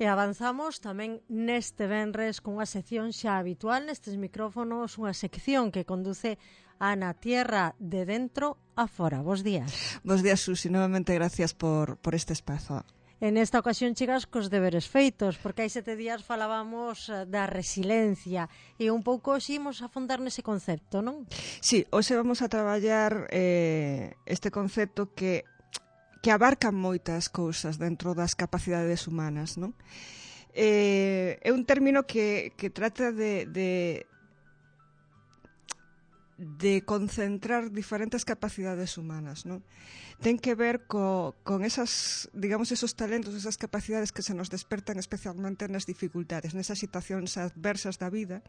E avanzamos tamén neste venres cunha sección xa habitual nestes micrófonos, unha sección que conduce Ana Tierra de dentro a fora. Bos días. Bos días, Susi. Novamente gracias por este espazo. En esta ocasión chegas cos deberes feitos, porque hai 7 días falábamos da resiliencia e un pouco ximos a afondar nese concepto, non? Sí, hoxe vamos a traballar este concepto que abarca moitas cousas dentro das capacidades humanas, non? É un término que trata de concentrar diferentes capacidades humanas, non? Ten que ver con esas, digamos, esos talentos, esas capacidades que se nos despertan especialmente nas dificultades, nesas situacións adversas da vida,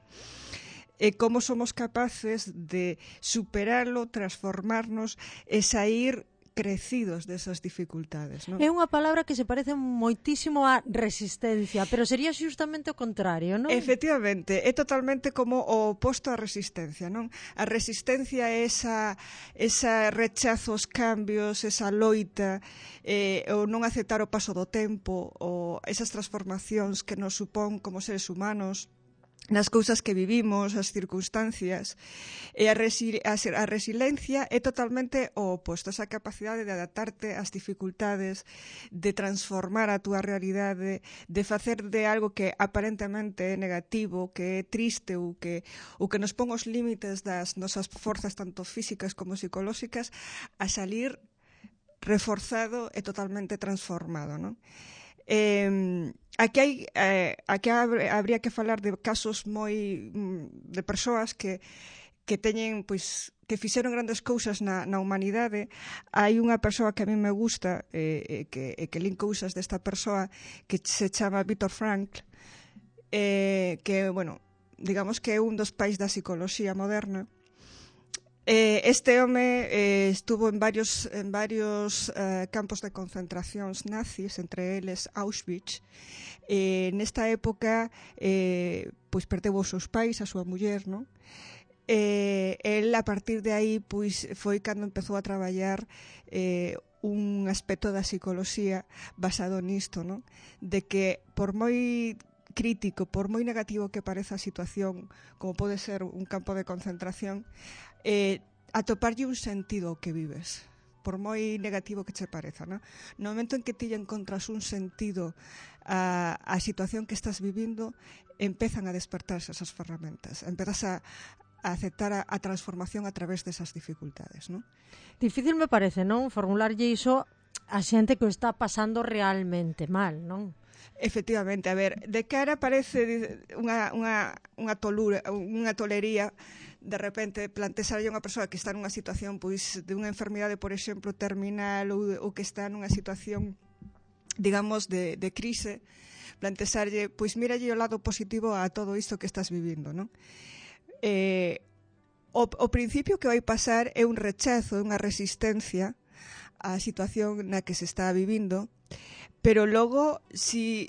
e como somos capaces de superarlo, transformarnos e sair crecidos desas dificultades, non? É unha palabra que se parece moitísimo á resistencia, pero sería xustamente o contrario, non? Efectivamente, é totalmente como o oposto á resistencia, non? A resistencia é esa rechazo aos cambios, esa loita, o non aceptar o paso do tempo, ou esas transformacións que nos supón como seres humanos, nas cousas que vivimos, as circunstancias. E a resiliencia é totalmente o oposto, esa capacidade de adaptarte ás dificultades, de transformar a túa realidade, de facer de algo que aparentemente é negativo, que é triste ou que nos pon os límites das nosas forzas tanto físicas como psicolóxicas a salir reforzado e totalmente transformado, non? Aquí habría que falar de casos moi de persoas que teñen, pois, que fixeron grandes cousas na humanidade. Hai unha persoa que a mí me gusta que lin cousas desta persoa que se chama Viktor Frankl, que, bueno, digamos que é un dos pais da psicoloxía moderna. Este home estuvo en varios campos de concentracións nazis, entre eles Auschwitz. Nesta época pois perdeu os seus pais, a súa muller, non? El a partir de aí pois foi cando empezou a traballar un aspecto da psicoloxía basado nisto, non? De que por moi crítico, por moi negativo que pareza a situación, como pode ser un campo de concentración, atoparlle un sentido ao que vives, por moi negativo que che pareza, non? No momento en que ti encontras un sentido a situación que estás vivindo, empezan a despertarse esas ferramentas, empezas a aceptar a transformación a través desas dificultades, non? Difícil me parece, non? Formularlle iso a xente que o está pasando realmente mal, non? Efectivamente, a ver, de cara parece unha tolería de repente plantexarlle a unha persoa que está nunha situación pois de unha enfermidade, por exemplo, terminal ou que está nunha situación, digamos, de crise, plantexarlle, pois míralle o lado positivo a todo isto que estás vivindo, non? O principio que vai pasar é un rechazo, unha resistencia á situación na que se está vivindo, pero logo, si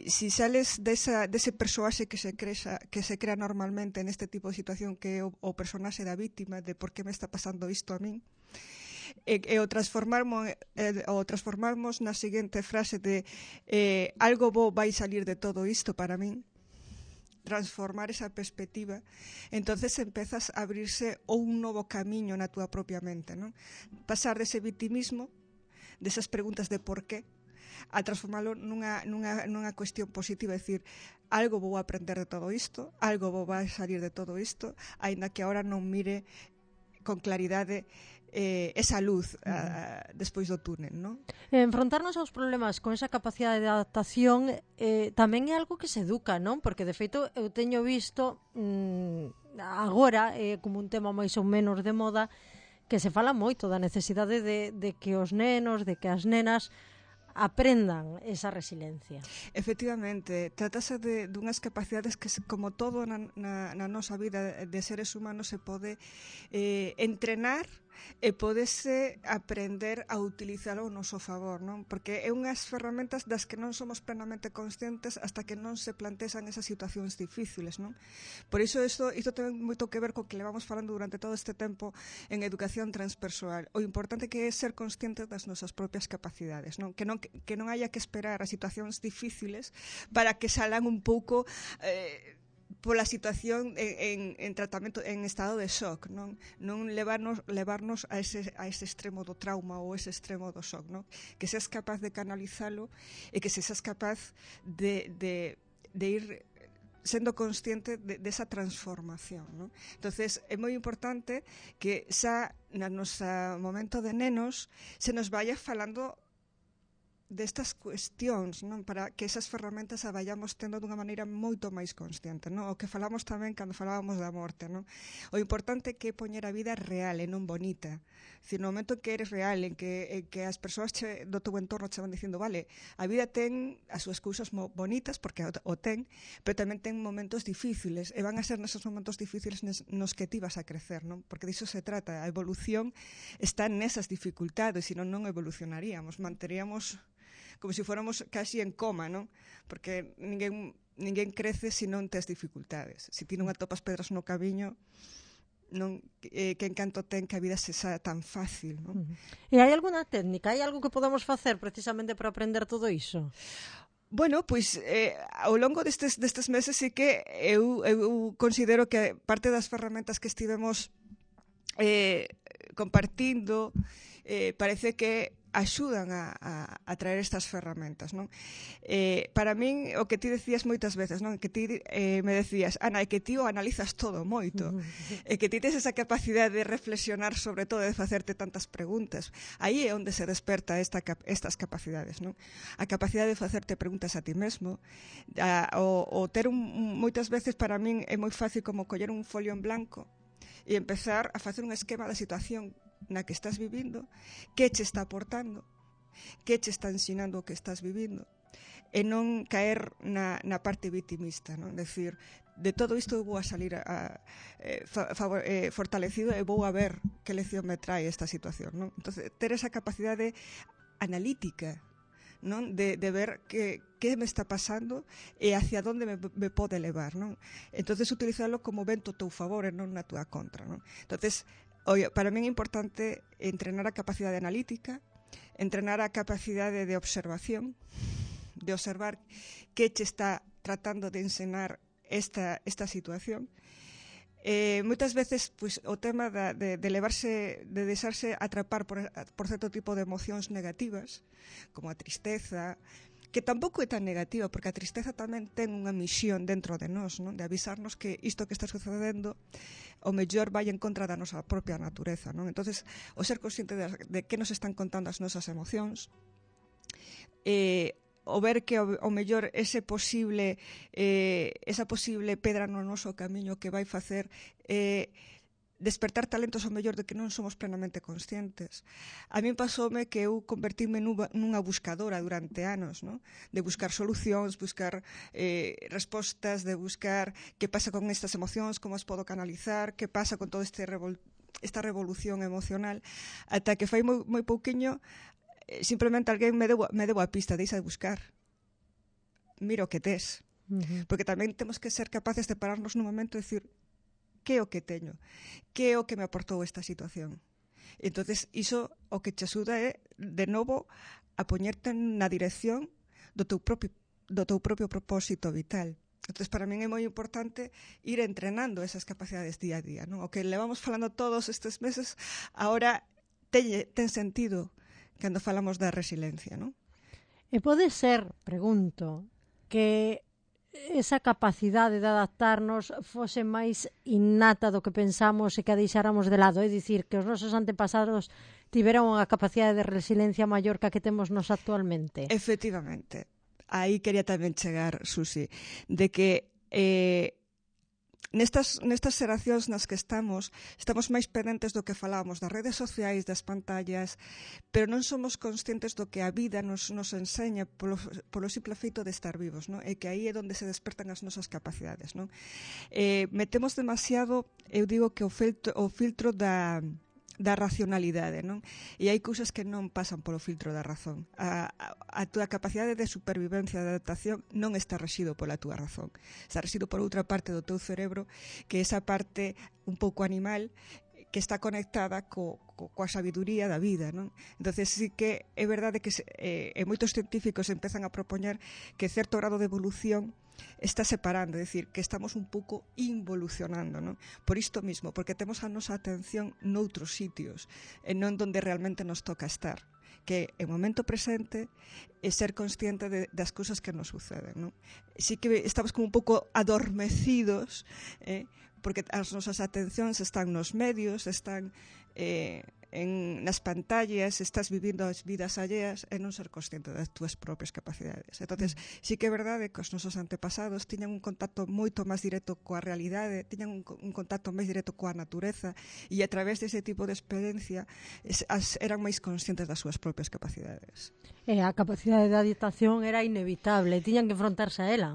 sales dese persoaxe que se crea normalmente neste tipo de situación, que é o personaxe da vítima, de por que me está pasando isto a min, e o transformarmos na seguinte frase de algo bo vai salir de todo isto para min, transformar esa perspectiva, entonces empezas a abrirse un novo camiño na túa propia mente, non? Pasar dese vitimismo, desas preguntas de por qué, a transformalo nunha cuestión positiva, é dicir, algo vou aprender de todo isto, algo vou vai salir de todo isto, aínda que agora non mire con claridade esa luz despois do túnel, non? Enfrontarnos aos problemas con esa capacidade de adaptación tamén é algo que se educa, non? Porque, de feito, eu teño visto agora, como un tema máis ou menos de moda, que se fala moito da necesidade de que os nenos, de que as nenas aprendan esa resiliencia. Efectivamente, trátase dunhas capacidades que, como todo na nosa vida de seres humanos, se pode entrenar e podese aprender a utilizalo ao noso favor, non? Porque é unhas ferramentas das que non somos plenamente conscientes hasta que non se plantexan esas situacións difíciles, non? Por iso isto ten moito que ver co que levamos falando durante todo este tempo en educación transpersoal. O importante que é ser conscientes das nosas propias capacidades, non? Que non haya que esperar a situacións difíciles para que salan un pouco pola situación en tratamento, en estado de shock, non levarnos a ese extremo do trauma ou ese extremo do shock, non? Que seas capaz de canalizalo e que seas capaz de ir sendo consciente desa transformación, non? Entonces é moi importante que xa na nosa momento de nenos se nos vaya falando destas cuestións, non? Para que esas ferramentas a vayamos tendo dunha maneira moito máis consciente, non? O que falamos tamén cando falábamos da morte, non? O importante é que poñer a vida real e non bonita. Dicir, no momento en que eres real, en que as persoas do teu entorno che van dicindo, vale, a vida ten as súas cousas bonitas, porque o ten, pero tamén ten momentos difíciles, e van a ser nesos momentos difíciles nos que ti vas a crecer, non? Porque diso se trata, a evolución está nesas dificultades, senón non evolucionaríamos, manteríamos como se fóramos casi en coma, non? Porque ninguén crece se non tes dificultades. Se ti non atopas pedras no camiño, non que encanto ten que a vida se xa tan fácil, non? E hai alguna técnica, hai algo que podemos facer precisamente para aprender todo iso? Bueno, pois ao longo destes meses sí que eu considero que parte das ferramentas que estivemos compartindo parece que axudan a traer estas ferramentas, non? Para min, o que ti decías moitas veces, non? Que ti me decías, Ana, é que ti o analizas todo moito, é que ti tes esa capacidade de reflexionar sobre todo, de facerte tantas preguntas. Aí é onde se desperta estas capacidades, non? A capacidade de facerte preguntas a ti mesmo, o ter moitas veces para min é moi fácil como coller un folio en blanco e empezar a facer un esquema da situación na que estás vivindo, que che está aportando, que che está ensinando o que estás vivindo, e non caer na parte vitimista, non? Decir, de todo isto vou a salir fortalecido e vou a ver que lección me trae esta situación, non? Entonces, ter esa capacidade analítica, non? De ver que me está pasando e hacia onde me pode levar, non? Entonces, utilizarlo como vento a teu favor e non na tua contra, non? Entonces, para mí é importante entrenar a capacidade analítica, entrenar a capacidade de observación, de observar que che está tratando de ensinar esta situación. Moitas veces pois, o tema de deixarse atrapar por certo tipo de emocións negativas, como a tristeza, que tampouco é tan negativa, porque a tristeza tamén ten unha misión dentro de nós, non? De avisarnos que isto que está sucedendo o mellor vai en contra da nosa propia natureza, non? Entonces, o ser consciente de que nos están contando as nosas emocións, o ver que o mellor esa posible pedra no noso camiño que vai facer despertar talentos ao mellor de que non somos plenamente conscientes. A min pasoume que eu convertime nunha buscadora durante anos, non? De buscar solucións, buscar respostas, de buscar que pasa con estas emocións, como as podo canalizar, que pasa con todo esta revolución emocional, ata que fai moi pouquiño simplemente alguén me deu a pista, deixa de buscar. Mira o que tes. Porque tamén temos que ser capaces de pararnos nun momento e decir, que é o que teño? Que é o que me aportou esta situación? Entonces, iso o que te axuda é, de novo, a poñerte na dirección do teu propio propósito vital. Entonces, para min é moi importante ir entrenando esas capacidades día a día, non? O que levamos falando todos estes meses, ahora ten sentido cando falamos da resiliencia, non? E pode ser, pregunto, que esa capacidade de adaptarnos fose máis innata do que pensamos e que a deixáramos de lado, é dicir, que os nosos antepasados tiveron unha capacidade de resiliencia maior que a que temos nos actualmente. Efectivamente. Aí quería tamén chegar, Susi, de que nestas xeracións nas que estamos máis pendentes do que falábamos das redes sociais, das pantallas, pero non somos conscientes do que a vida nos enseña polo simple feito de estar vivos, non? E que aí é onde se despertan as nosas capacidades, non? Metemos demasiado, eu digo que o filtro da racionalidade, non? E hai cousas que non pasan polo filtro da razón. A túa capacidade de supervivencia, de adaptación, non está rexido pola túa razón. Está rexido por outra parte do teu cerebro, que é esa parte un pouco animal, que está conectada coa sabiduría da vida, non? Entonces sí que é verdade que moitos científicos empezan a propoñer que certo grado de evolución está separando, é dicir, que estamos un pouco involucionando, non? Por isto mismo, porque temos a nosa atención noutros sitios, e non donde realmente nos toca estar, que é o momento presente e ser consciente das cousas que nos suceden, non? Sí que estamos como un pouco adormecidos, porque as nosas atencións están nos medios, están nas pantallas, estás vivindo as vidas alleas e non ser consciente das túas propias capacidades. Entonces, sí que é verdade que os nosos antepasados tiñan un contacto moito máis directo coa realidade, tiñan un contacto máis directo coa natureza, e a través dese tipo de experiencia eran máis conscientes das súas propias capacidades. E a capacidade de adaptación era inevitable, tiñan que enfrontarse a ela.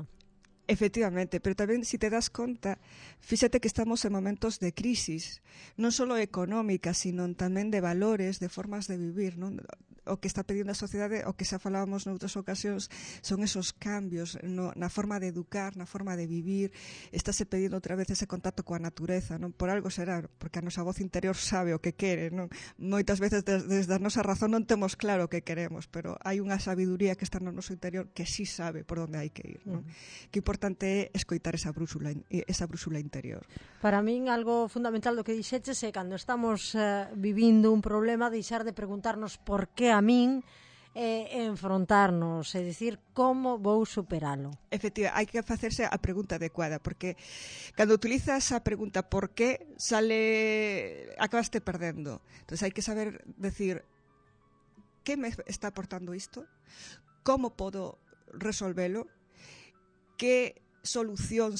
Efectivamente, pero tamén, se te das conta, fíxate que estamos en momentos de crisis, non só económica, sino tamén de valores, de formas de vivir, non? O que está pedindo a sociedade, o que xa falábamos noutras ocasións, son esos cambios na forma de educar, na forma de vivir. Estáse pedindo outra vez ese contacto coa natureza, non? Por algo será, porque a nosa voz interior sabe o que quere, non? Moitas veces desde a nosa razón non temos claro o que queremos, pero hai unha sabiduría que está no noso interior que sí sabe por onde hai que ir, non? Que importante é escoitar esa brúxula interior. Para min, algo fundamental do que dixeches é cando estamos vivindo un problema, deixar de preguntarnos por que a min, enfrontarnos, é dicir, como vou superalo. Efectivamente, hai que facerse a pregunta adecuada, porque cando utilizas a pregunta por qué, acabaste perdendo. Entón, hai que saber decir, que me está aportando isto? Como podo resolvelo? Que solución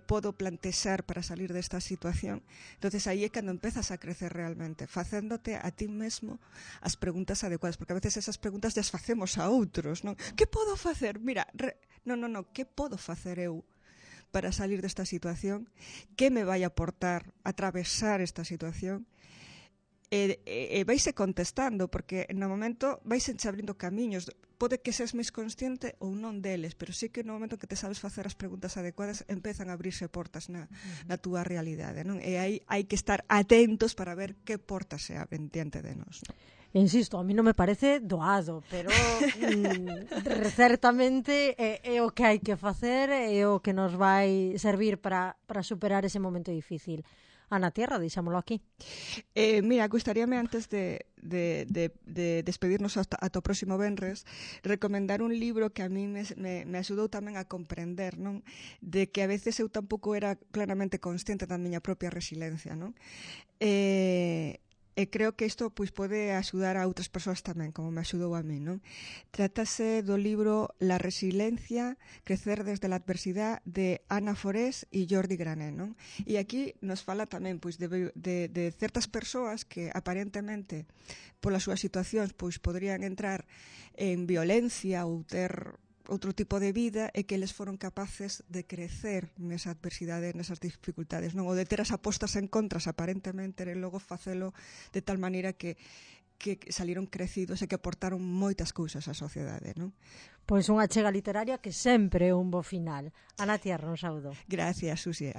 podo plantexar para salir desta situación? Entonces aí é cando empezas a crecer realmente, facéndote a ti mesmo as preguntas adecuadas, porque a veces esas preguntas as facemos a outros, non? Que podo facer? Mira, non, que podo facer eu para salir desta situación? Que me vai aportar atravesar esta situación? E vaise contestando, porque no momento vaise abrindo camiños. Pode que seas máis consciente ou non deles, pero sí que no momento que te sabes facer as preguntas adecuadas, empezan a abrirse portas na túa realidade, non? E aí hai que estar atentos para ver que portas se abren diante de nós, non? Insisto, a mí non me parece doado, pero certamente é o que hai que facer, é o que nos vai servir para superar ese momento difícil. Ana Tierra, deixámoslo aquí. Mira, gustaríame antes de despedirnos ata o próximo venres, recomendar un libro que a mí me axudou tamén a comprender, non? De que a veces eu tampouco era claramente consciente da miña propia resiliencia, non? E creo que isto pois pode axudar a outras persoas tamén, como me axudou a mí, non? Trátase do libro La resiliencia, crecer desde la adversidad, de Ana Forés e Jordi Grané, non? E aquí nos fala tamén pois de certas persoas que aparentemente polas súas situacións pois poderían entrar en violencia ou ter outro tipo de vida, e que eles foron capaces de crecer nesa adversidade, nesas dificultades, non? Ou de ter as apostas en contras aparentemente, e logo facelo de tal maneira que saliron crecidos e que aportaron moitas cousas á sociedade, non? Pois unha achega literaria que sempre é un bo final. Ana Tierra, un saúdo. Gracias, Susi.